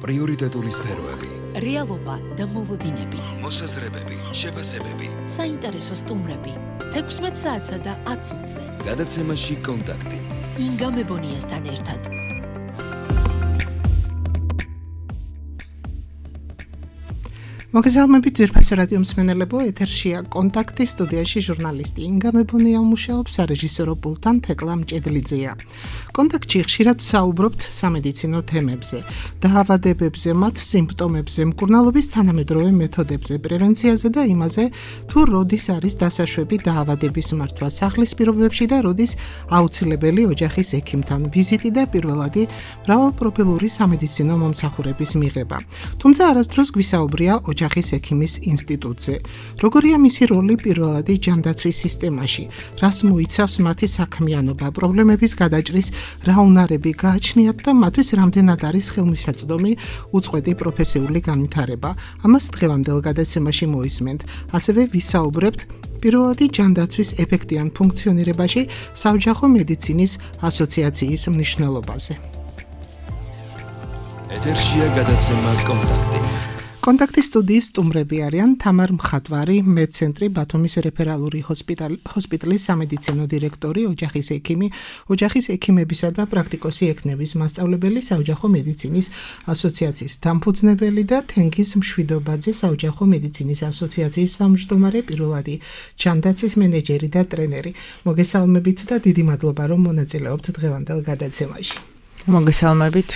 პრიორიტეტული სფეროები, რეალობა და მოლოდინები, მოსაზრებები, შეფასებები, საინტერესო სტუმრები, 16 საათსა და 10 წუთზე. გადაცემაში კონტაქტი. ინგა მებონიასთან ერთად. მოგესალმებით ძვირფასო რადიო მსმენელებო, ეთერშია კონტაქტი, სტუდიაში ჟურნალისტი ინგა მებონია მუშაობს, სარეჟისორო პულტთან თეკლა მჭედლიძეა. კონტაქტში ხშირად საუბრობთ სამედიცინო თემებზე, დაავადებებზე, მათ სიმპტომებზე, მკურნალობის თანამედროვე მეთოდებზე, პრევენციაზე და იმაზე, თუ როდის არის დასაშვები დაავადების მართვა სახლის პირობებში და როდის აუცილებელი ოჯახის ექიმთან ვიზიტი და პირველადი მრავალპროფილური სამედიცინო მომსახურების მიღება. თუმცა არასდროს გვისაუბრია ოჯახის ექიმის ინსტიტუტზე. როგორია მისი როლი პირველადი ჯანდაცვის სისტემაში, რას მოიცავს მათი საქმიანობა, პრობლემების გადაჭრის რა უნარები გააჩნიათ და მათთვის რამდენად არის ხელმისაწვდომი უწყვეტი პროფესიული განვითარება. ამას დღევანდელ გადაცემაში მოისმენთ. ასევე ვისაუბრებთ პირველადი ჯანდაცვის ეფექტიან ფუნქციონირებაში საოჯახო მედიცინის ასოციაციის მნიშვნელობაზე. ეთერშია გადაცემა კონტაქტი. კონტაქტის სტუდიის სტუმრები არიან თამარ მხატვარი, მედცენტრი ბათუმის რეფერალური ჰოსპიტალის სამედიცინო დირექტორი, ოჯახის ექიმი, ოჯახის ექიმებისა და პრაქტიკოსი ექნების მასწავლებელი, საოჯახო მედიცინის ასოციაციის დამფუძნებელი და თენგიზ მშვიდობაძე, საოჯახო მედიცინის ასოციაციის თავმჯდომარე, პირველადი ჯანდაცვის მენეჯერი და ტრენერი. მოგესალმებით და დიდი მადლობა, რომ მონაწილეობთ დღევანდელ გადაცემაში. მოგესალმებით.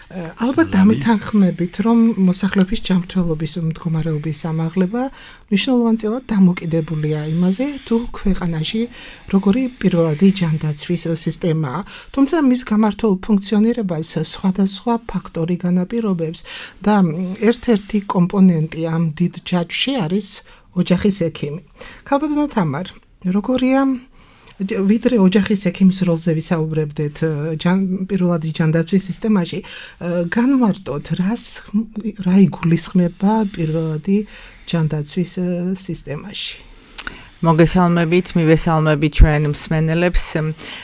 ალბათ დამეთანხმებით, რომ მოსახლეობის ჯანმრთელობის მდგომარეობის ამაღლება მნიშვნელოვანწილად დამოკიდებულია იმაზე, თუ ქვეყანაში როგორი პირველადი ჯანდაცვის სისტემაა. თუმცა მის გამართულ ფუნქციონირებას სხვადასხვა ფაქტორი განაპირობებს და ერთ-ერთი კომპონენტი ამ დიდ ჯაჭვში არის ოჯახის ექიმი. ქალბატონო თამარ, როგორია ვიდრე ოჯახის ექიმის როლზე ვისაუბრებდეთ პირველადი ჯანდაცვის სისტემაში, განმარტოთ, რა იგულისხმება პირველადი ჯანდაცვის სისტემაში. მოგესალმებით, მივესალმებით ჩვენ მსმენელებს.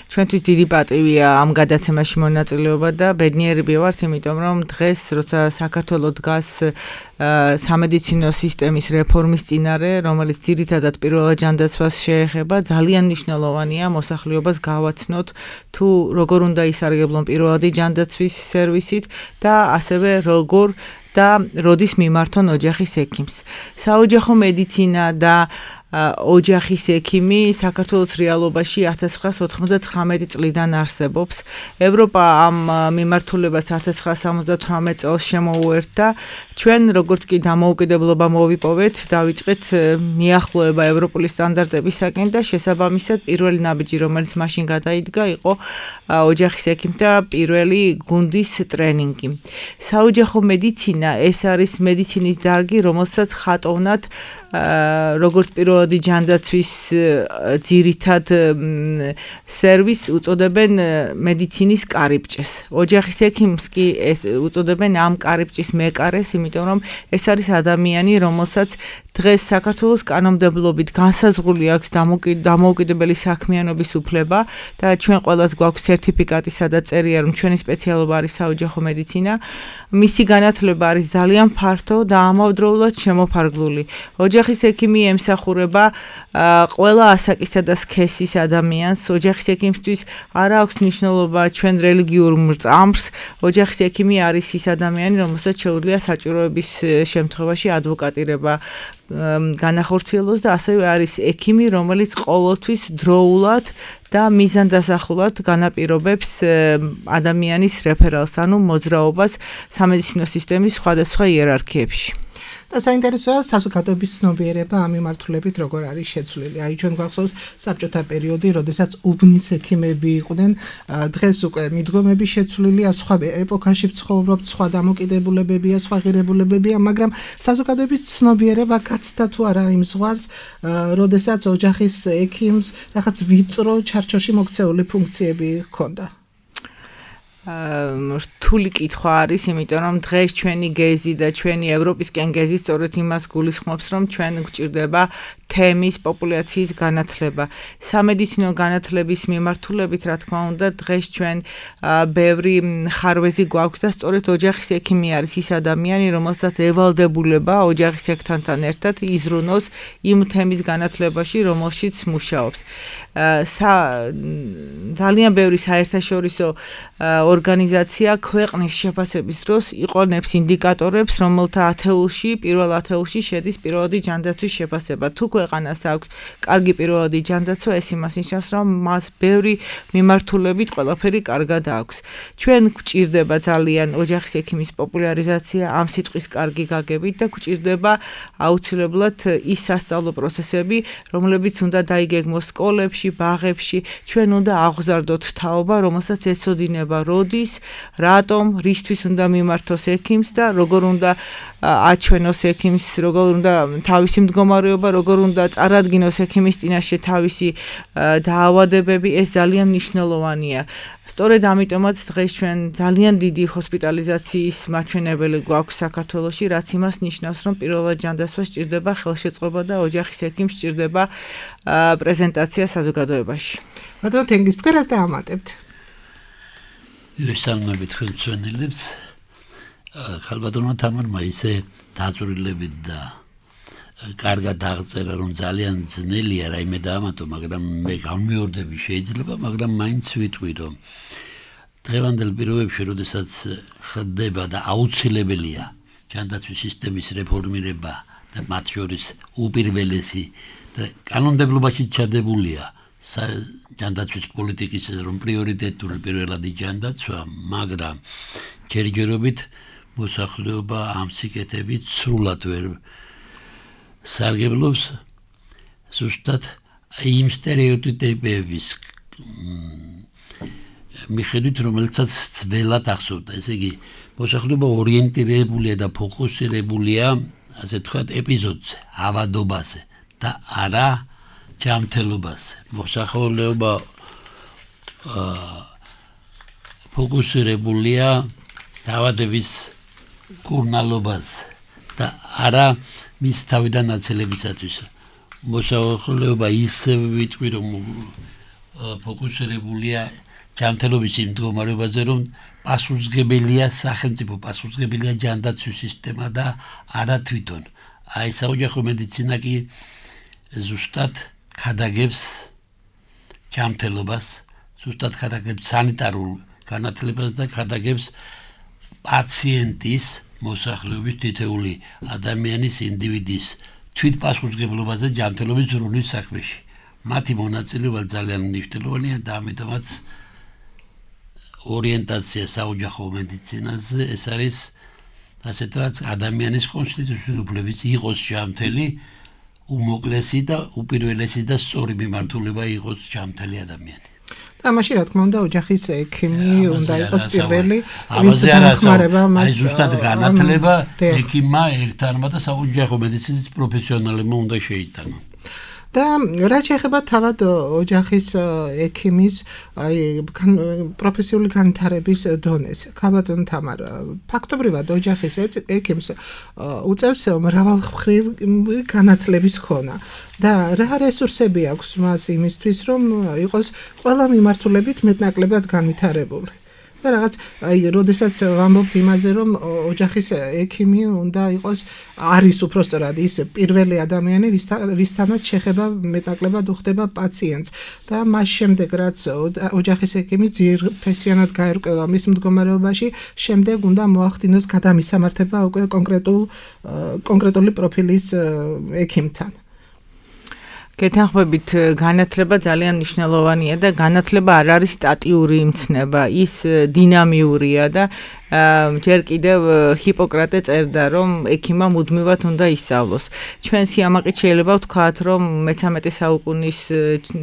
ჩვენთვის დიდი პატივია ამ გადაცემაში მონაწილეობა და ბედნიერები ვართ, იმიტომ რომ დღეს, როცა საქართველო დგას სამედიცინო სისტემის რეფორმის წინარე, რომელიც ძირითადად პირველად ჯანდაცვას შეეხება, ძალიან მნიშვნელოვანია მოსახლეობას გავაცნოთ, თუ როგორ უნდა ისარგებლონ პირველადი ჯანდაცვის სერვისით და ასევე როგორ და როდის მიმართონ ოჯახის ექიმს. საოჯახო მედიცინა და ოჯახის ექიმი საქართველოს რეალობაში 1999 წლიდან არსებობს. ევროპა ამ მიმართულებას 1978 წელს შემოუერთდა. ჩვენ როგორც კი დამოუკიდებლობა მოვიპოვეთ, დავიწყეთ მიახლოება ევროპული სტანდარტებისაკენ და შესაბამისად პირველი ნაბიჯი, რომელიც მაშინ გადაიდგა, იყო ოჯახის ექიმთა პირველი გუნდის ტრენინგი. საოჯახო მედიცინა ეს არის მედიცინის დარგი, რომელსაც ხატოვნად როგორც პირველადი ჯანდაცვის ძირითად სერვისს უწოდებენ მედიცინის კარიბჭეს. ოჯახის ექიმს კი ეს უწოდებენ ამ კარიბჭის მეკარეს, იმიტომ რომ ეს არის ადამიანი, რომელსაც დღეს საქართველოს კანონმდებლობით განსაზღვრული აქვს დამოუკიდებელი საქმიანობის უფლება და ჩვენ ყველას გვაქვს სერტიფიკატი, სადაც წერია, რომ ჩვენი სპეციალობა არის საოჯახო მედიცინა. მისი განათლება არის ძალიან ფართო და ამავდროულად შემოფარგლული. ოჯახის ექიმი ემსახურება ყველა ასაკისა და სქესის ადამიანს. ოჯახის ექიმისთვის არ აქვს მნიშვნელობა ჩვენ რელიგიურ მრწამსს. ოჯახის ექიმი არის ის ადამიანი, რომელსაც შეუძლია საჭიროების შემთხვევაში ადვოკატირება განახორციელოს და ასევე არის ექიმი, რომელიც ყოველთვის დროულად და მიზანდასახულად განაპირობებს ადამიანის რეფერალს, ანუ მოძრაობას სამედიცინო სისტემის სხვადასხვა იერარქიებში. და საინტერესოა საზოგადოების ცნობიერება ამ მიმართულებით როგორ არის შეცვლილი. აი ჩვენ გვახსოვს საბჭოთა პერიოდი, როდესაც უბნის ექიმები იყვნენ, დღეს უკვე მიდგომები შეცვლილია, სხვა ეპოქაში ვცხოვრობთ, სხვა დამოკიდებულებებია, სხვა ღირებულებებია, მაგრამ საზოგადოების ცნობიერება გაცდა თუ არა იმ ზღვარს, როდესაც ოჯახის ექიმს რაღაც ვიწრო ჩარჩოში მოქცეული ფუნქციები ჰქონდა. რთული კითხვა არის, იმიტომ რომ დღეს ჩვენი გეზი და ჩვენი ევროპისკენ გეზი სწორედ იმას გულისხმობს, რომ ჩვენ გვჭირდება თემის, პოპულაციის განათლება. სამედიცინო განათლების მიმართულებით, რა თქმა უნდა, დღეს ჩვენ ბევრი ხარვეზი გვაქვს და სწორედ ოჯახის ექიმი არის ის ადამიანი, რომელსაც ევალდებულება ოჯახის ექთანთან ერთად იზრუნოს იმ თემის განათლებაში, რომელშიც მუშაობს. ძალიან ბევრი საერთაშორისო ორგანიზაცია ქვეყნის შეფასების დროს იყენებს ინდიკატორებს, რომელთა პირველ ათეულში შედის პირველადი ჯანდაცვის შეფასება. თუ ქვეყანას აქვს კარგი პირველადი ჯანდაცვა, ეს იმას ნიშნავს, რომ მას ბევრი მიმართულებით ყველაფერი კარგად აქვს. ჩვენ გვჭირდება ძალიან ოჯახის ექიმის პოპულარიზაცია ამ სიტყვის კარგი გაგებით და გვჭირდება აუცილებლად ის სასწავლო პროცესები, რომლებიც უნდა დაიგეგმოს სკოლებში, ბაღებში. ჩვენ უნდა აღვზარდოთ თაობა, რომელსაც ეცოდინება როდის, რატომ, რისთვის უნდა მიმართოს ექიმს და როგორ უნდა აჩვენოს ექიმს, როგორ უნდა თავისი მდგომარეობა, როგორ უნდა წარადგინოს ექიმის წინაშე თავისი დაავადებები, ეს ძალიან მნიშვნელოვანია. სწორედ ამიტომაც დღეს ჩვენ ძალიან დიდი ჰოსპიტალიზაციის მაჩვენებელი გვაქვს საქართველოში, რაც იმას ნიშნავს, რომ პირველად ჯანდაცვა სჭირდება ხელშეწყობა და ოჯახის ექიმს სჭირდება პრეზენტაცია საზოგადოებაში. ბატონო თენგიზ, თქვენ რას დაამატებთ? ვესალმებით ხელმძღვანელებს. ხალბატონმა თამარმა ისე დაწვრილებით და კარგად აღწერა, რომ ძალიან ძნელია რაიმე დაამატო, მაგრამ მე გამმეორდები შეიძლება, მაგრამ მაინც ვიტყვი, რომ დღევანდელ პირობებში, როდესაც ხდება და აუცილებელია ჯანდაცვის სისტემის რეფორმირება და მათ შორის უპირველესი და კანონმდებლობაში ჩადებულია ჯანდაცვის პოლიტიკის რომ პრიორიტეტული პირველადი ჯანდაცვა, მაგრამ ჯერჯერობით მოსახლეობა ამ სიკეთებით სრულად ვერ სარგებლობს, ზუსტად იმ სტერეოტიპების მიხედვით, რომელსაც ძველად ახსოვდა. ესე იგი, მოსახლეობა ორიენტირებულია და ფოკუსირებულია, ასე თქვათ, ეპიზოდზე, ავადობაზე და არა ჯანმრთელობაზე. მოსახლეობა ფოკუსირებულია დაავადების კურნალობაზე და არა მის თავიდან აცელებისათვის. მოსახლეობა ისე ვიტყვი, რომ ფოკუსირებულია ჯანმრთელობის იმ მდგომარეობაზე, რომ პასუხისმგებელია სახელმწიფო, პასუხისმგებელია ჯანდაცვის სისტემა და არა თვითონ. აი საოჯახო მედიცინა კი ზუსტად ხადაგებს ჯანმრთელობას, ზუსტად ხადაგებს სანიტარულ განათლებას და ხადაგებს პაციენტის მოსახლეობის თითეული ადამიანის ინდივიდის თვითპასუხისმგებლობაზე ჯანმრთელობის ზრუნვის საქმეში. მათი მონაწილეობა ძალიან მნიშვნელოვანია და ამიტომაც ორიენტაცია საოჯახო მედიცინაზე ეს არის ასე თქვათ ადამიანის კონსტიტუციური უფლებების იყოს ჯანმრთელი, უმოკლესი და უპირველესი და სწორი მიმართულება იყოს ჯანმრთელი ადამიანი. ამაში რა თქმა უნდა ოჯახის ექიმი უნდა იყოს პირველი, ვინც დაახმარება მას. აი ზუსტად განათლება ექიმმა ერთთანმა და საოჯახო მედიცინის პროფესიონალებმა უნდა შეიტანონ. და რა შეეხება თავად ოჯახის ექიმის პროფესიული განვითარების დონეს. ხალბატონ თამარ, ფაქტობრივად ოჯახის ექიმს უწევს მრავალმხრივ განათლების ქონა და რა რესურსები აქვს მას იმისთვის, რომ იყოს ყველა მიმართულებით მეტნაკლებად განვითარებული. და რაღაც როდესაც ვამბობთ იმაზე, რომ ოჯახის ექიმი უნდა იყოს არის უпростоრად ის პირველი ადამიანი, ვისთანაც შეხება მეტნაკლებად უხდება პაციენტს და მას შემდეგ რაც ოჯახის ექიმი ძირფესიანად გაერკვევა მის მდგომარეობაში, შემდეგ უნდა მოახდინოს გადამისამართება უკვე კონკრეტული პროფილის ექიმთან. გეთანხმებით, განათლება ძალიან მნიშვნელოვანია და განათლება არ არის სტატიური იმცნება, ის დინამიურია და ჯერ კიდევ ჰიპოკრატე წერდა, რომ ექიმმა მუდმივად უნდა ისწავლოს. ჩვენ სიამაყით შეიძლება ვთქვათ, რომ მე-13 საუკუნის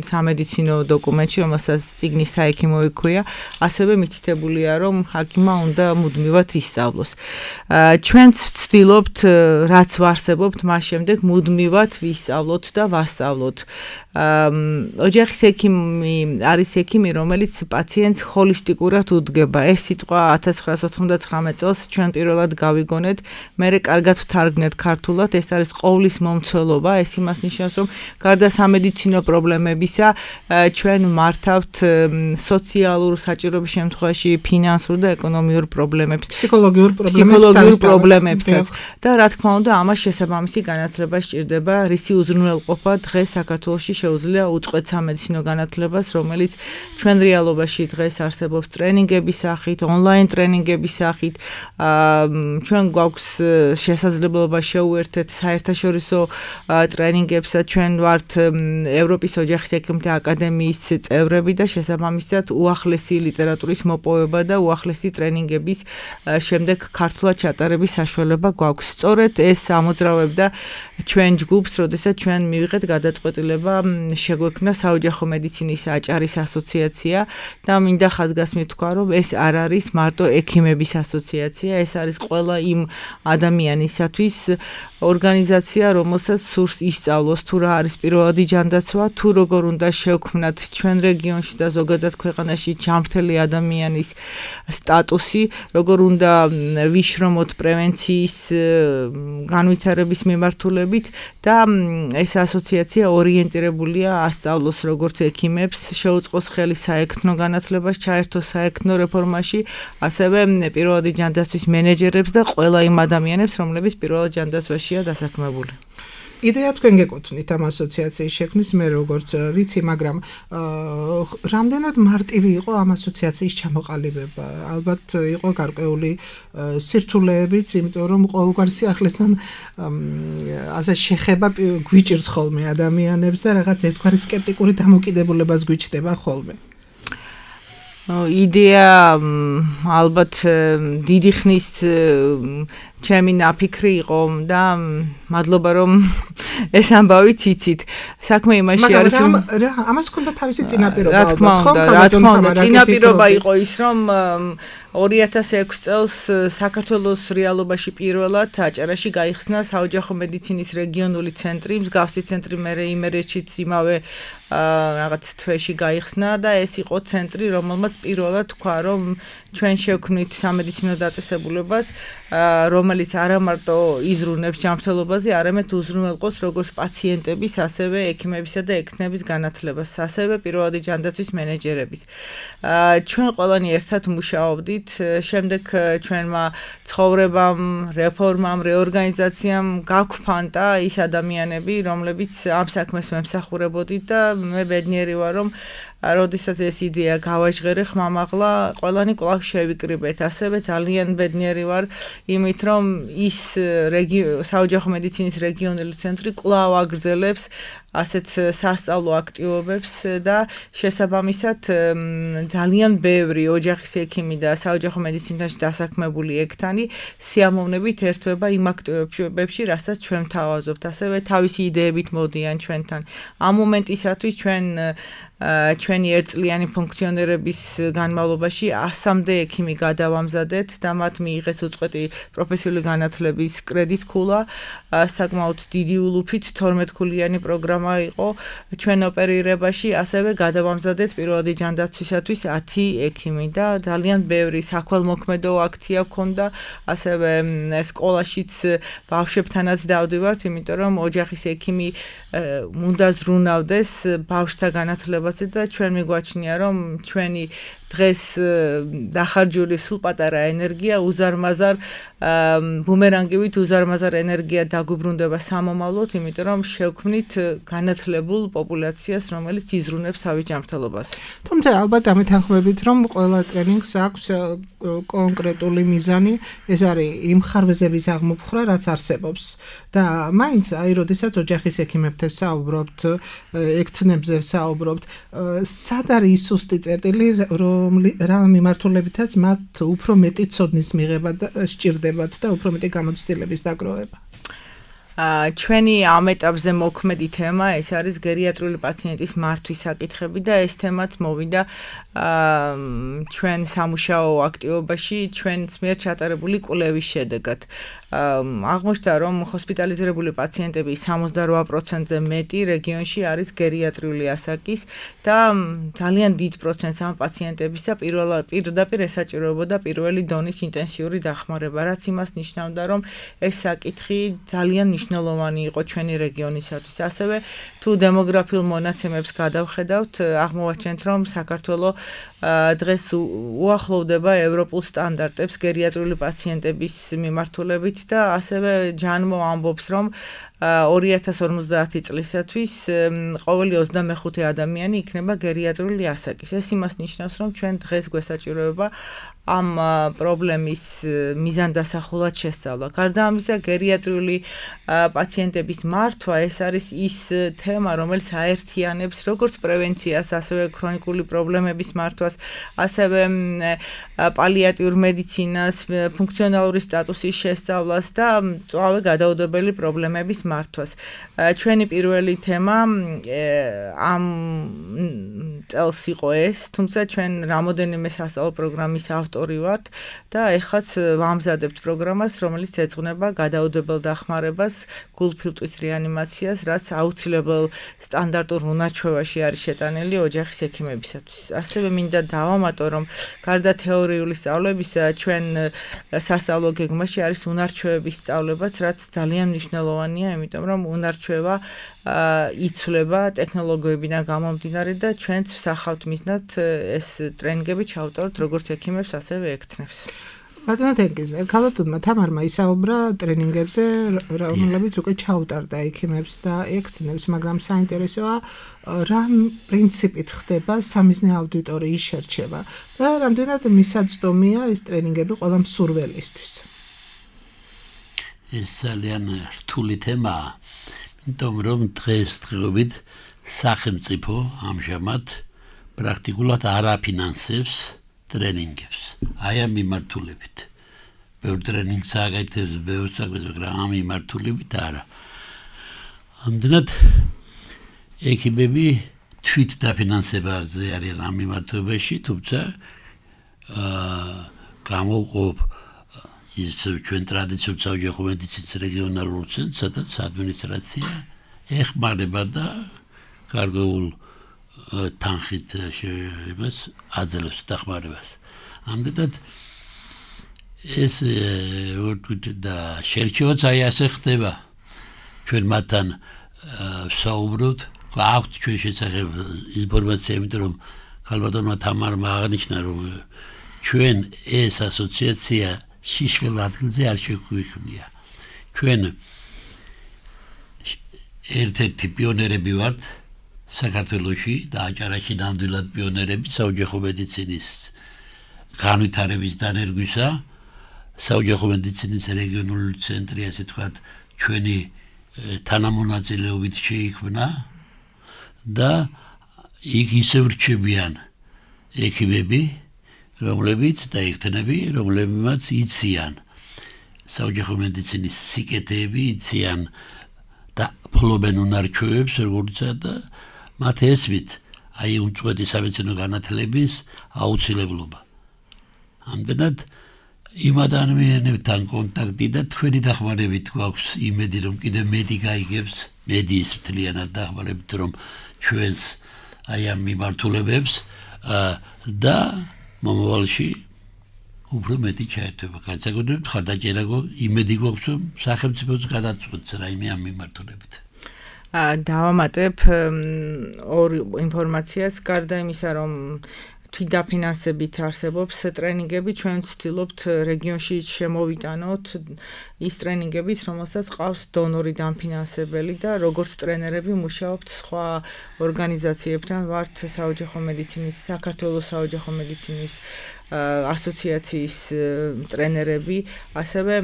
სამედიცინო დოკუმენტში, რომელსაც წიგნის საექიმო ჰქვია, ასევე მითითებულია, რომ ჰაკიმმა უნდა მუდმივად ისწავლოს. ჩვენც ვცდილობთ, რაც ვარსებობთ, მას შემდეგ მუდმივად ვისწავლოთ და ვასწავლოთ. ოჯახის ექიმი არის ექიმი, რომელიც პაციენტს ჰოლისტიკურად უდგება. ეს სიტყვა 1999 წელს ჩვენ პირველად გავიგონეთ, მერე კარგად ვთარგმნეთ ქართულად, ეს არის ყოვლის მომცველობა, ეს იმას ნიშნავს, რომ გარდა სამედიცინო პრობლემებისა, ჩვენ მართავთ სოციალურ საჭიროების შემთხვევაში ფინანსურ და ეკონომიურ პრობლემებს, ფსიქოლოგიურ პრობლემებსაც და რა თქმა უნდა, ამას შესაბამისი განათლება სჭირდება, რისი უზრუნველყოფა დღეს საქართველოში შეუძლია უწყვეტ სამედიცინო განათლებას, რომელიც ჩვენ რეალობაში დღეს არსებობს ტრენინგების სახით, ონლაინ ტრენინგების სახით. ჩვენ გვაქვს შესაძლებლობა შეუერთეთ საერთაშორისო ტრენინგებსა, ჩვენ ვართ ევროპის ოჯახის ექიმთა აკადემიის წევრები და შესაბამისად უახლესი ლიტერატურის მოპოვება და უახლესი ტრენინგების შემდეგ ქართულად ჩატარების საშუალება გვაქვს. სწორედ ეს ამოძრავებდა ჩვენ ჯგუფს, როდესაც ჩვენ მივიღეთ გადაწყვეტილება შეგვექმნა საოჯახო მედიცინის აჭარის ასოციაცია და მინდა ხაზგასმით თქვა, რომ ეს არ არის მარტო ექიმების ასოციაცია, ეს არის ყველა იმ ადამიანისათვის ორგანიზაცია, რომელსაც სურს ისწავლოს თუ რა არის პირველადი ჯანდაცვა, თუ როგორ უნდა შევქმნათ ჩვენ რეგიონში და ზოგადად ქვეყანაში ჯანმრთელი ადამიანის სტატუსი, როგორ უნდა ვიშრომოთ პრევენციის განვითარების მიმართულებით და ეს ასოციაცია ორიენტირებულია ასწავლოს როგორც ექიმებს, შეუწყოს ხელი საექნო განათლებას, ჩაერთოს საექნო რეფორმაში, ასევე პირველადი ჯანდაცვის მენეჯერებს და ყველა იმ ადამიანებს, რომლებიც პირველად ჯანდაცვაშია დასაქმებული. იდეა თქვენ გეკუთვნით ამ ასოციაციის შექმნის, მე როგორც ვიცი, მაგრამ რამდენად მარტივი იყო ამ ასოციაციის ჩამოყალიბება? ალბათ იყო გარკვეული სირთულეებიც, იმიტომ რომ ყოველგვარ სიახლესთან ასე შეხება გვიჭირს ხოლმე ადამიანებს და რაღაც ერთგვარი სკეპტიკური დამოკიდებულებას გვიჩნდება ხოლმე. იდეა ალბათ დიდი ხნის ჩემი ნაფიქრი იყო და მადლობა რომ ეს ამბავი ციცით. საქმე იმაში არის რომ ამას ქონდა თავისი წინაპირობა ალბათ, ხო? რა თქმა უნდა, წინაპირობა იყო ის, რომ 2006 წელს საქართველოს რეალობაში პირველად აჭარაში გაიხსნა საოჯახო მედიცინის რეგიონული ცენტრი, მსგავსი ცენტრი მერე იმერეთშიც იმავე რაღაც თვეში გაიხსნა და ეს იყო ცენტრი, რომელმაც პირველად თქვა, რომ ჩვენ შევქმნით სამედიცინო დაწესებულებას, რომელიც არა მარტო იზრუნებს ჯანმრთელობაზე, არამედ უზრუნველყოფს როგორც პაციენტების, ასევე ექიმებისა და ექნების განათლებას, ასევე პირველადი ჯანდაცვის მენეჯერების. ჩვენ ყველანი ერთად მუშაობდით, შემდეგ ჩვენმა ცხოვრებამ, რეფორმამ, რეორგანიზაციამ გაგვფანტა ის ადამიანები, რომლებიც ამ საქმეს მემსახურებოდით და მე ბედნიერი ვარ, რომ როდესაც ეს იდეა გავაჟღერე ხმამაღლა, ყველანი კვლავ შევიკრიბეთ. ასევე ძალიან ბედნიერი ვარ იმით, რომ ის საოჯახო მედიცინის რეგიონული ცენტრი კვლავ აგრძელებს ასეთ სასწავლო აქტივობებს და შესაბამისად ძალიან ბევრი ოჯახის ექიმი და საოჯახო მედიცინაში დასაქმებული ექთანი სიამოვნებით ერთვება იმ აქტივობებში, რასაც ჩვენ ვთავაზობთ. ასევე თავისი იდეებით მოდიან ჩვენთან. ამ მომენტისათვის ჩვენი ერთწლიანი ფუნქციონერების განმავლობაში 100-მდე ექიმი გადავამზადეთ და მათ მიიღეს უწყვეტი პროფესიული განათლების კრედიტ-ქულა, საკმაოდ დიდი ულუფით 12-ქულიანი პროგრამა იყო ჩვენ ოპერირებაში, ასევე გადავამზადეთ პირველადი ჯანდაცვისათვის 10 ექიმი და ძალიან ბევრი საქველმოქმედო აქცია გქონდა, ასევე სკოლაშიც ბავშვებთანაც დავდივართ, იმიტომ რომ ოჯახის ექიმი უნდა ზრუნავდეს ბავშვთა განათლებას და ჩვენ მიგვაჩნია, რომ ჩვენი დღეს დახარჯული სულ პატარა ენერგია უზარმაზარ ბუმერანგივით უზარმაზარ ენერგია დაგვიბრუნდება სამომავლოდ, იმიტომ რომ შევქმნით განათლებულ პოპულაციას, რომელიც იზრუნებს თავის ჯანმრთელობას. თუმცა ალბათ ამეთანხმებით, რომ ყველა ტრენინგს აქვს კონკრეტული მიზანი, ეს არის იმ ხარვეზების აღმოფხვრა, რაც არსებობს. და მაინც აი, როდესაც ოჯახის ექიმებთან საუბრობთ, ექთნებზე საუბრობთ, სად არის ის სუსტი წერტილი, რა მიმართულებითაც მათ უფრო მეტი ცოდნის მიღება და სჭირდებათ და უფრო მეტი გამოცდილების დაგროვება. ჩვენი ამ ეტაპზე მოქმედი თემა ეს არის გერიატრიული პაციენტის მართვის საკითხები და ეს თემაც მოვიდა ჩვენ სამუშაო აქტივობაში ჩვენს მიერ ჩატარებული კვლევის შედეგად. აღმოჩნდა, რომ ჰოსპიტალიზირებული პაციენტების 78%-ზე მეტი რეგიონში არის გერიატრიული ასაკის და ძალიან დიდ პროცენტს ამ პაციენტებისა პირდაპირ ესაჭიროებოდა პირველი დონის ინტენსიური დახმარება, რაც იმას ნიშნავდა, რომ ეს საკითხი ძალიან მნიშვნელოვანი იყო ჩვენი რეგიონისათვის. ასევე თუ დემოგრაფიულ მონაცემებს გადავხედავთ, აღმოვაჩენთ, რომ საქართველოს დღეს უახლოვდება ევროპულ სტანდარტებს გერიატრიული პაციენტების მიმართულებით და ასევე ჯანმო ამბობს, რომ 2050 წლისათვის ყოველი 25 ადამიანი იქნება გერიატრიული ასაკის. ეს იმას ნიშნავს, რომ ჩვენ დღეს გვესაჭიროება ამ პრობლემის მიზანდასახულად შესწავლა. გარდა ამისა, გერიატრიული პაციენტების მართვა ეს არის ის თემა, რომელიც აერთიანებს როგორც პრევენციას, ასევე ქრონიკული პრობლემების მართვას, ასევე პალიატიურ მედიცინას, ფუნქციონალური სტატუსის შესწავლას და მწვავე გადაუდებელი პრობლემების მართვას. ჩვენი პირველი თემა ამ წელს იყო ეს, თუმცა ჩვენ რამოდენიმე სასწავლო პროგრამის ავტორი ვართ და ეხლაც ვამზადებთ პროგრამას, რომელიც ეძღვნება გადაუდებელ დახმარებას, გულფილტვის რეანიმაციას, რაც აუცილებელ სტანდარტურ უნარჩვევაში არის შეტანილი ოჯახის ექიმებისათვის. ასევე მინდა დავამატო, რომ გარდა თეორიული სწავლებისა, ჩვენ სასწავლო გეგმაში არის უნარჩვევების სწავლებაც, რაც ძალიან მნიშვნელოვანია, იმიტომ რომ უნარჩვევა იცვლება ტექნოლოგიებიდან გამომდინარე და ჩვენც ვსახავთ მიზნად ეს ტრენინგები ჩავტაროთ როგორც ექიმებს, ასევე ექთნებს. ბატონო თენგიზ, ქალბატონმა თამარმა ისაუბრა ტრენინგებზე, რომლებიც უკვე ჩაუტარდა ექიმებს და ექთნებს, მაგრამ საინტერესოა რა პრინციპით ხდება სამიზნე აუდიტორიის შერჩევა და რამდენად მისაწვდომია ეს ტრენინგები ყველა მსურველისთვის. ეს ძალიან რთული თემაა, იმიტომ რომ დღესდღეობით სახელმწიფო ამჟამად პრაქტიკულად არ აფინანსებს ტრენინგებს. აი ამ მიმართულებით. ბევრ ტრენინგს აკეთებს, ბევრ საქმეს, მაგრამ ამ მიმართულებით არა. ამდენად ექიმები თვით დაფინანსებაზე არიან ამ მიმართულებაში, თუმცა გამოვყოფ ის ჩვენ ტრადიციულ საოჯახო მედიცინის რეგიონალურ ცენტრს, სადაც ადმინისტრაცია ეხმარება და გარკვეულ თანხით იმას აძლევს დახმარებას. ამდენად ეს და შერჩევაც აი ასე ხდება. ჩვენ მათთან ვსაუბრობთ, გვაქვს ჩვენ შესახებ ინფორმაცია, იმიტომ რომ ქალბატონმა თამარმა აღნიშნა, რომ ჩვენ ეს ასოციაცია შიშველ ადგილზე არ შეგვიქმნია. ჩვენ ერთ-ერთი პიონერები ვართ საქართველოში და აჭარაში ნამდვილად პიონერები საოჯახო მედიცინის განვითარების დანერგვისა. საოჯახო მედიცინის რეგიონული ცენტრი, ასე ვთქვათ, ჩვენი თანამონაწილეობით შეიქმნა და იქ ისევ რჩებიან ექიმები, რომლებიც და ექთნები, რომლებიც იციან საოჯახო მედიცინის სიკეთეები, იციან და ფლობენ უნარჩვევებს, როგორიცაა და მათ ესვით აი უწყვეტი სამედიცინო განათლების აუცილებლობა. ამდენად იმ ადამიანებთან კონტაქტი და თქვენი დახმარებით გვაქვს იმედი, რომ კიდე მედი გაიგებს, მედიის მთლიანად დახმარებით, რომ ჩვენს აი ამ მიმართულებებს და მომავალში უფრო მეტი ჩაერთვება. განსაკუთრებით ხარდაჭერა იმედი გვაქვს, რომ სახელმწიფოც გადაწყვეტს რაიმე ამ მიმართულებით. დავამატებ ორ ინფორმაციას, გარდა იმისა, რომ თვითდაფინანსებით არსებობს ტრენინგები, ჩვენ ვცდილობთ რეგიონში შემოვიტანოთ ის ტრენინგებიც, რომელსაც ყავს დონორი დამფინანსებელი და როგორც ტრენერები მუშაობთ სხვა ორგანიზაციებთან, ვართ საოჯახო მედიცინის, საქართველოს საოჯახო მედიცინის ასოციაციის ტრენერები, ასევე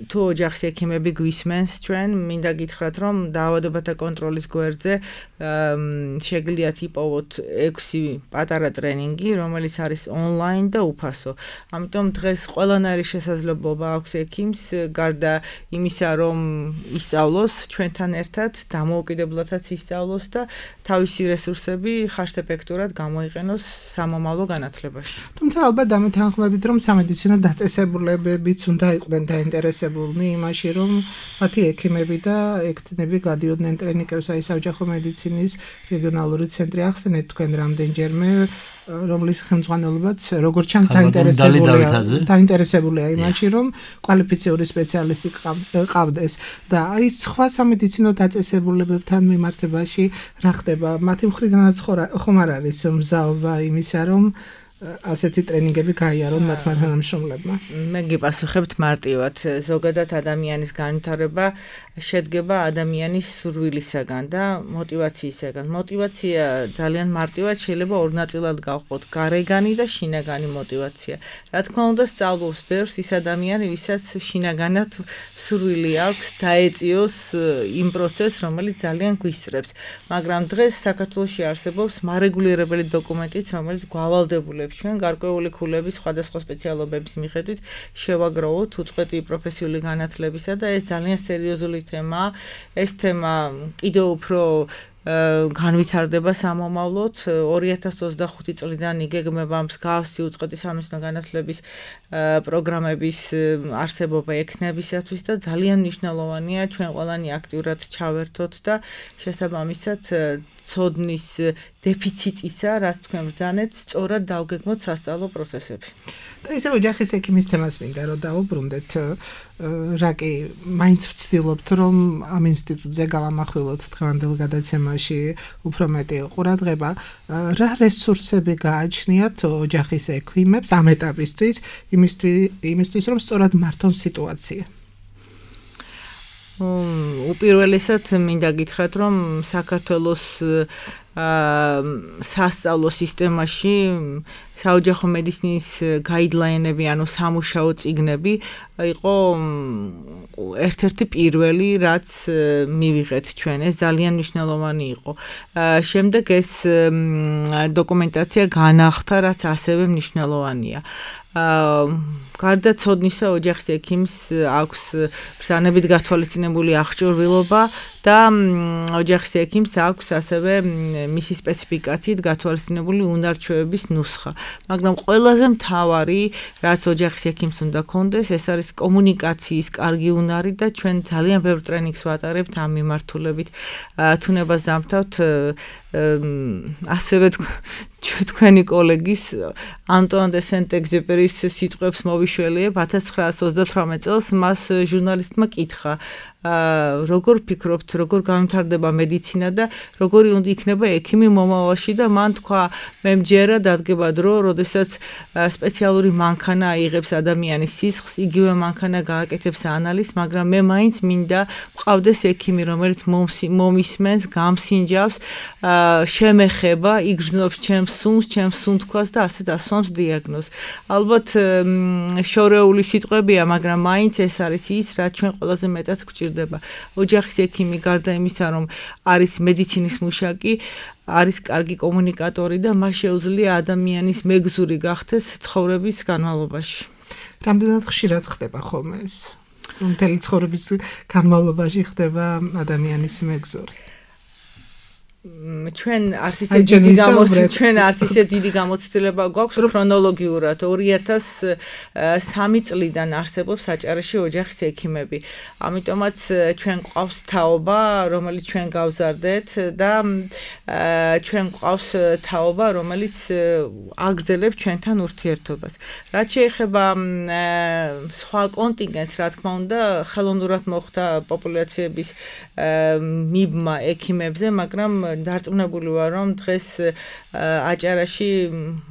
თუ ოჯახის ექიმები გვისმენს ჩვენ, მინდა გითხრათ, რომ დაავადებათა კონტროლის გვერდზე შეგიძლიათ იპოვოთ 6 პატარა ტრენინგი, რომელიც არის ონლაინ და უფასო. ამიტომ დღეს ყველანაირი შესაძლებლობა აქვს ექიმს, გარდა იმისა, რომ ისწავლოს ჩვენთან ერთად, დამოუკიდებლადაც ისწავლოს და თავისი რესურსები ხარშტეფექტურად გამოიყენოს სამომავლო განათლებაში. თუმცა ალბათ დამეთანხმებით, რომ სამედიცინო დაწესებულებებიც უნდა იყვნენ დაინტერესებულნი იმაში, რომ მათი ექიმები და ექთნები გადიოდნენ ტრენინგებს, აი საოჯახო მედიცინის რეგიონალური ცენტრი ახსენეთ თქვენ რამდენჯერმე, რომლის ხელმძღვანელობაც როგორც ჩანს დაინტერესებულია იმაში, რომ კვალიფიციური სპეციალისტი ყავდეს და აი სხვა სამედიცინო დაწესებულებებთან მიმართებაში რა ხდება? მათი მხრიდანაც ხომ არ არის მზაობა იმისა, რომ ასეთი ტრენინგები გაიარონ მათმა თანამშრომლებმა. მე გიპასუხებთ მარტივად. ზოგადად ადამიანის განვითარება შედგება ადამიანის სურვილისაგან და მოტივაციისაგან. მოტივაცია ძალიან მარტივად შეიძლება ორ ნაწილად გავყოთ: გარეგანი და შინაგანი მოტივაცია. რა თქმა უნდა, სწავლობს ბევრს ის ადამიანი, ვისაც შინაგანად სურვილი აქვს დაეწიოს იმ პროცესს, რომელიც ძალიან გვისწრებს. მაგრამ დღეს საქართველოში არსებობს მარეგულირებელი დოკუმენტიც, რომელიც გვავალდებულებს ჩვენ გარკვეული ქულების სხვადასხვა სპეციალობების მიხედვით შევაგროვოთ უწყვეტი პროფესიული განათლებისა და ეს ძალიან სერიოზული თემაა. ეს თემა კიდევ უფრო განვითარდება სამომავლოდ. 2025 წლიდან იგეგმება მსგავსი უწყვეტი სამეცნიერო განათლების პროგრამების არსებობა ექნებისათვის და ძალიან მნიშვნელოვანია ჩვენ ყველანი აქტიურად ჩავერთოთ და შესაბამისად ცოდნის დეფიციტისა, რაც თქვენ ბრძანეთ, სწორად დავგეგმოთ სასწავლო პროცესები. და ისე ოჯახის ექიმის თემას მინდა რომ დავუბრუნდეთ, რა კი მაინც ვცდილობთ რომ ამ ინსტიტუტზე გავამახვილოთ დღევანდელ გადაცემაში უფრო მეტი ყურადღება, რა რესურსები გააჩნიათ ოჯახის ექიმებს ამ ეტაპისთვის, იმისთვის რომ სწორად მართონ სიტუაცია. უპირველესად მინდა გითხრათ, რომ საქართველოს სასწავლო სისტემაში საოჯახო მედიცინის გაიდლაინები, ანუ სამუშაო წიგნები იყო ერთ-ერთი პირველი, რაც მივიღეთ ჩვენ. ეს ძალიან მნიშვნელოვანი იყო. შემდეგ ეს დოკუმენტაცია განახდა, რაც ასევე მნიშვნელოვანია. გარდა ცოდნისა, ოჯახის ექიმს აქვს ბრძანებით გათვალისწინებული აღჭურვილობა და ოჯახის ექიმს აქვს ასევე მისი სპეციფიკაციით გათვალისწინებული უნარჩვევების ნუსხა. მაგრამ ყველაზე მთავარი, რაც ოჯახის ექიმს უნდა ქონდეს, ეს არის კომუნიკაციის კარგი უნარი და ჩვენ ძალიან ბევრ ტრენინგს ვატარებთ ამ მიმართულებით. თუნებას დამთავრდით ასევე თქვენი კოლეგის ანტუან დე სენტ-ეგზუპერის სიტყვებს მოვიშველიებ. 1928 წელს მას ჟურნალისტმა კითხა, როგორ ფიქრობთ, როგორ განვითარდება მედიცინა და როგორი უნდა იქნება ექიმი მომავალში და მან თქვა, მე მჯერა დადგება დრო, როდესაც სპეციალური მანქანა აიღებს ადამიანის სისხლს, იგივე მანქანა გააკეთებს ანალიზს, მაგრამ მე მაინც მინდა მყავდეს ექიმი, რომელიც მომისმენს, გამსინჯავს, შემეხება, იგრძნობს ჩემს სუნს, ჩემს სუნთქვას და ასე დასვამს დიაგნოზს. ალბათ შორეული სიტყვებია, მაგრამ მაინც ეს არის ის, რაც ჩვენ ყველაზე მეტად გვჭირდება. ოჯახის ექიმი გარდა იმისა, რომ არის მედიცინის მუშაკი, არის კარგი კომუნიკატორი და მას შეუძლია ადამიანის მეგზური გახდეს ცხოვრების განმავლობაში. რამდენად ხშირად ხდება ხოლმე ეს? მთელი ცხოვრების განმავლობაში ხდება ადამიანის მეგზური. ჩვენ არც ისე დიდი გამოცდილება გვაქვს ქრონოლოგიურად. 2003 წლიდან არსებობს საჭარეში ოჯახის ექიმები. ამიტომაც ჩვენ გვყავს თაობა, რომელიც ჩვენ გავზარდეთ და ჩვენ გვყავს თაობა, რომელიც აგრძელებს ჩვენთან ურთიერთობას. რაც შეეხება სხვა კონტინგენტს, რა თქმა უნდა, ხელოვნურად მოხდა პოპულაციების მიბმა ექიმებზე, მაგრამ დარწმუნებული ვარ, რომ დღეს აჭარაში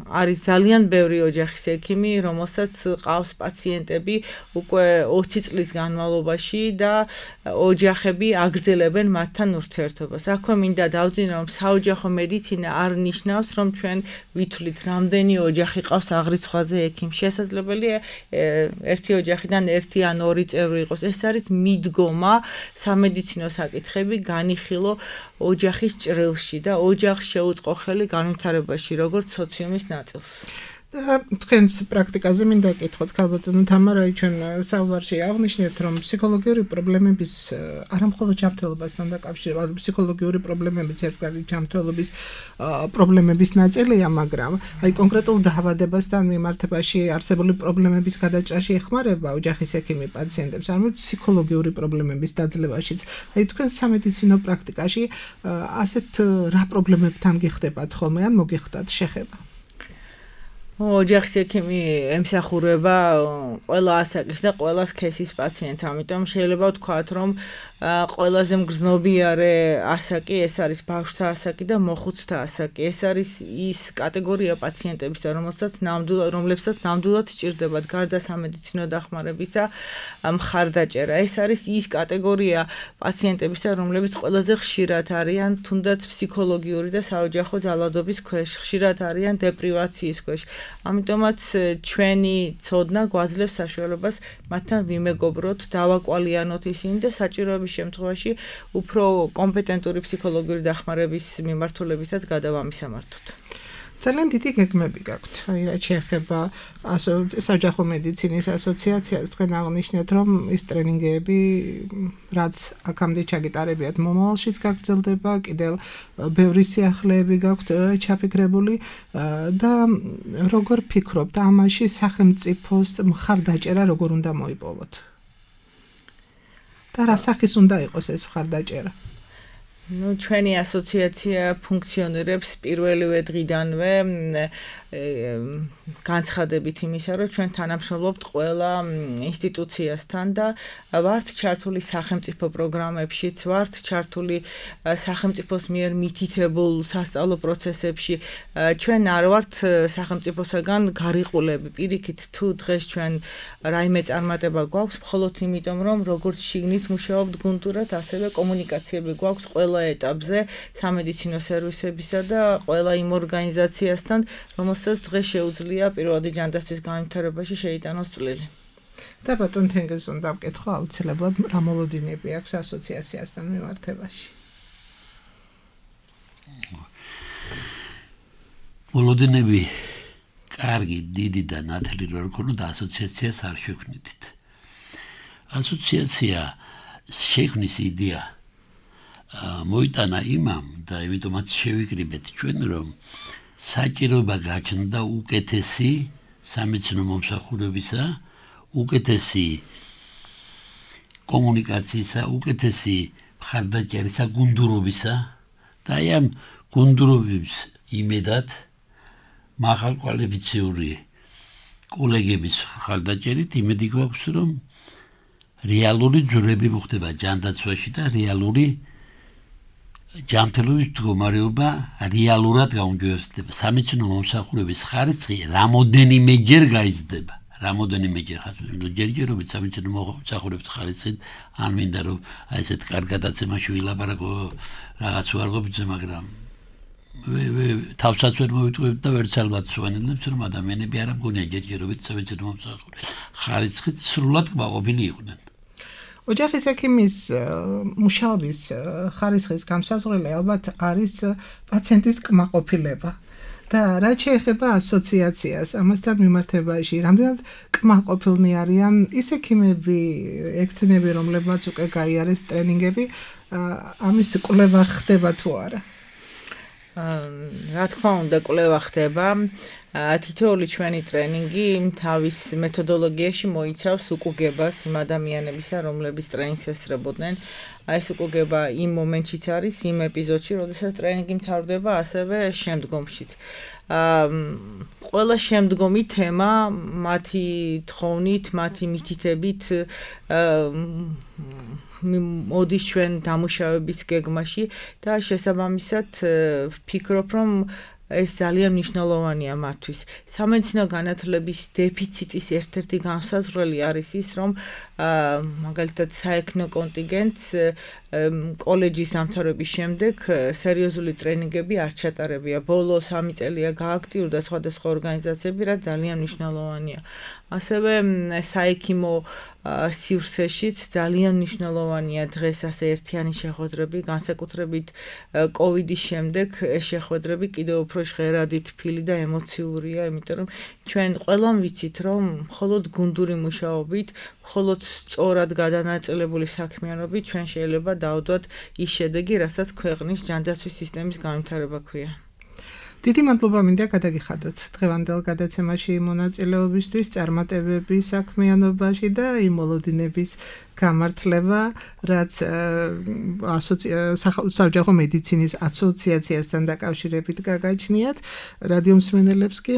არის ძალიან ბევრი ოჯახის ექიმი, რომელსაც ყავს პაციენტები უკვე 20 წლის განმავლობაში და ოჯახები აგრძელებენ მათთან ურთიერთობას. აქვე მინდა დავძინო, რომ საოჯახო მედიცინა არ ნიშნავს, რომ ჩვენ ვითვლით, რამდენი ოჯახი ყავს აღრიცხვაზე ექიმს. შესაძლებელია ერთი ოჯახიდან ერთი ან ორი წევრი იყოს. ეს არის მიდგომა სამედიცინო საკითხები განიხილო ოჯახის ჭრილში და ოჯახს შეუწყო ხელი განვითარებაში, როგორც სოციუმის ნაწილს. თქვენს პრაქტიკაზე მინდა გკითხოთ, ქალბატონო თამარა, ჩვენ საუბარში აღნიშნეთ, რომ ფსიქოლოგიური პრობლემების არა მხოლოდ ჯანმრთელობასთან დაკავშირებით, ფსიქოლოგიური პრობლემებიც ერთგვარი ჯანმრთელობის პრობლემების ნაწილია, მაგრამ აი კონკრეტულ დაავადებასთან მიმართებაში არსებული პრობლემების გადაჭრაში ეხმარება ოჯახის ექიმი პაციენტებს, არამედ ფსიქოლოგიური პრობლემების დაძლევაშიც. აი თქვენ სამედიცინო პრაქტიკაში ასეთ რა პრობლემებთან გიხდებათ ხოლმე ან მოგიხდათ შეხება? ოჯახის ექიმი ემსახურება ყველა ასაკის და ყველა სქესის პაციენტს, ამიტომ შეიძლება ვთქვათ, რომ ყველაზე მგრძნობიარე ასაკი ეს არის ბავშვთა ასაკი და მოხუცთა ასაკი. ეს არის ის კატეგორია პაციენტებისა, რომლებსაც ნამდვილად სჭირდებათ გარდა სამედიცინო დახმარებისა მხარდაჭერა. ეს არის ის კატეგორია პაციენტებისა, რომლებიც ყველაზე ხშირად არიან თუნდაც ფსიქოლოგიური და საოჯახო ძალადობის ქვეშ, ხშირად არიან დეპრივაციის ქვეშ. ამიტომაც ჩვენი ცოდნა გვაძლევს საშუალებას მათთან ვიმეგობროთ, დავაკვალიანოთ ისინი და საჭიროების შემთხვევაში უფრო კომპეტენტური ფსიქოლოგიური დახმარების მიმართულებითაც გადავამისამართოთ. ძალიან დიდი გეგმები გაქვთ. აი რაც შეეხება საოჯახო მედიცინის ასოციაციას, თქვენ აღნიშნეთ, რომ ის ტრენინგები, რაც აქამდე ჩაგიტარებიათ, მომავალშიც გაგრძელდება, კიდევ ბევრი სიახლეები გაქვთ ჩაფიქრებული და როგორ ფიქრობთ, ამაში სახელმწიფოს მხარდაჭერა როგორ უნდა მოიპოვოთ? და რა სახის უნდა იყოს ეს მხარდაჭერა? ჩვენი ასოციაცია ფუნქციონირებს პირველივე დღიდანვე განცხადებით იმისა, რომ ჩვენ თანამშრომლობთ ყველა ინსტიტუციასთან და ვართ ჩართული სახელმწიფო პროგრამებშიც, ვართ ჩართული სახელმწიფოს მიერ მითითებულ სასწავლო პროცესებში. ჩვენ არ ვართ სახელმწიფოსაგან გარიყულები. პირიქით, თუ დღეს ჩვენ რაიმე წარმატება გვაქვს, მხოლოდ იმიტომ, რომ როგორც შიგნით მუშაობთ გუნდურად, ასევე კომუნიკაციები გვაქვს ყველა ეტაპზე სამედიცინო სერვისებისა და ყველა იმ ორგანიზაციასთან, რომელსაც დღეს შეუძლია პირველადი ჯანდაცვის განვითარებაში შეიტანოს წვლილი. და ბატონ თენგიზს უნდა ვკითხო აუცილებლად რა მოლოდინები აქვს ასოციაციასთან მიმართებაში. მოლოდინები კარგი, დიდი და ნათელი რო ქონოდა ასოციაციას არ შექმნით. ასოციაცია შექმნის იდეა მოიტანა იმამ და იმიტომაც შევიკრიბეთ ჩვენ, რომ საჭიროება გაჩნდა უკეთესი სამედიცინო მომსახურებისა, უკეთესი კომუნიკაციისა, უკეთესი მხარდაჭერისა, გუნდურობისა და აი ამ გუნდურობის იმედად მაღალკვალიფიციური კოლეგების მხარდაჭერით იმედი გვაქვს, რომ რეალური ძვრები მოხდება ჯანდაცვაში და რეალური ჯანმრთელობის მდგომარეობა რეალურად გაუმჯობესდება. სამედიცინო მომსახურების ხარისხი რამოდენიმეჯერ გაიზრდება. რამოდენიმეჯერ ჯერჯერობით სამედიცინო მომსახურების ხარისხით არ მინდა რომ აი ესეთ კარგ გადაცემაში ვილაპარაკო რაღაც უარყოფითზე, მაგრამ თავსაც ვერ მოვიტყუებთ და ვერც ალბათ სვანილებს, რომ ადამიანები არ ამგონია ჯერჯერობით სამედიცინო მომსახურების ხარისხით სრულად კმაყოფილი იყვნენ. ოჯახის ექიმის მუშაობის ხარისხის გამსაზღვრელი ალბათ არის პაციენტის კმაყოფილება. და რაც შეეხება ასოციაციას, ამასთან მიმართებაში, რამდენად კმაყოფილნი არიან ის ექიმები, ექთნები, რომლებმაც უკვე გაიარეს ტრენინგები, ამის კვლევა ხდება თუ არა? რა თქმა უნდა, კვლევა ხდება. თითოეული ჩვენი ტრენინგი თავის მეთოდოლოგიაში მოიცავს უკუგებას იმ ადამიანებისა, რომლებიც ტრენინგს ესწრებოდნენ. Აი ეს უკუგება იმ მომენტშიც არის, იმ ეპიზოდში, როდესაც ტრენინგი მთავრდება, ასევე შემდგომშიც. ყველა შემდგომი თემა მათი თხოვნით, მათი მითითებით მოდის ჩვენ დამუშავების გეგმაში და შესაბამისად ვფიქრობ, რომ ეს ძალიან მნიშვნელოვანია მათთვის. სამედიცინო განათლების დეფიციტის ერთ-ერთი განსაზღვრელი არის ის, რომ მაგალითად საექნო კონტინგენტს კოლეჯის დამთავრების შემდეგ სერიოზული ტრენინგები არ ჩატარებია. ბოლო 3 წელია გააქტიურდა სხვადასხვა ორგანიზაციები, რაც ძალიან მნიშვნელოვანია. ასევე საექიმო სივრცეშიც ძალიან მნიშვნელოვანია დღეს ასე ერთიანი შეხვედრები, განსაკუთრებით კოვიდის შემდეგ ეს შეხვედრები კიდევ უფრო ჟღერადი თბილი და ემოციურია, იმიტომ რომ ჩვენ ყველამ ვიცით, რომ მხოლოდ გუნდური მუშაობით, მხოლოდ სწორად გადანაწილებული საქმიანობით ჩვენ შეიძლება დავდოთ ის შედეგი, რასაც ქვეყნის ჯანდაცვის სისტემის განვითარება ქვია. დიდი მადლობა მინდა გადაგიხადოთ დღევანდელ გადაცემაში მონაწილეობისთვის, წარმატებები საქმიანობაში და იმოლოდინების გამართლება, რაც საოჯახო მედიცინის ასოციაციასთან დაკავშირებით გაგაჩნიათ. რადიო მსმენელებს კი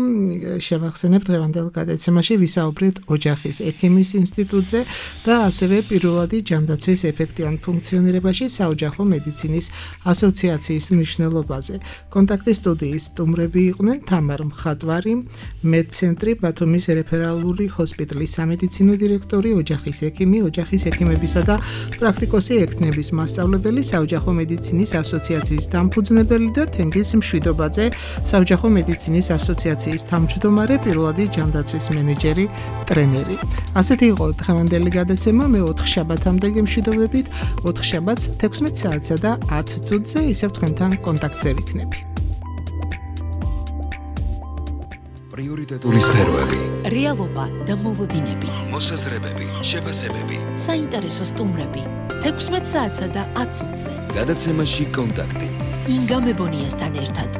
შევახსენებ დღევანდელ გადაცემაში ვისაუბრეთ ოჯახის ექიმის ინსტიტუტზე და ასევე პირველადი ჯანდაცვის ეფექტიან ფუნქციონირებაში საოჯახო მედიცინის ასოციაციის მნიშვნელობაზე. კონტაქტის სტუდიის სტუმრები იყვნენ თამარ მხატვარი, მედცენტრი ბათუმის რეფერალური ჰოსპიტალის სამედიცინო დირექტორი, ოჯახის ექიმი, ოჯახის ექიმებისა და პრაქტიკოსი ექნების მასწავლებელი, საოჯახო მედიცინის ასოციაციის დამფუძნებელი და თენგიზ მშვიდობაძე, საოჯახო მედიცინის ასოციაციის თავმჯდომარე, პირველადი ჯანდაცვის მენეჯერი, ტრენერი. ასეთი იყო დღევანდელი გადაცემა. მე 4 შაბათამდე გემშვიდობებით, 4 შაბათს 16 საათსა და 10 წუთზე ისევ თქვენთან კონტაქტზე ვიქნები. პრიორიტეტული სფეროები, რეალობა და მოლოდინები, მოსაზრებები, შეფასებები, საინტერესო სტუმრები, 16 საათსა და 10 წუთზე. გადაცემაში კონტაქტი. ინგა მებონიასთან ერთად.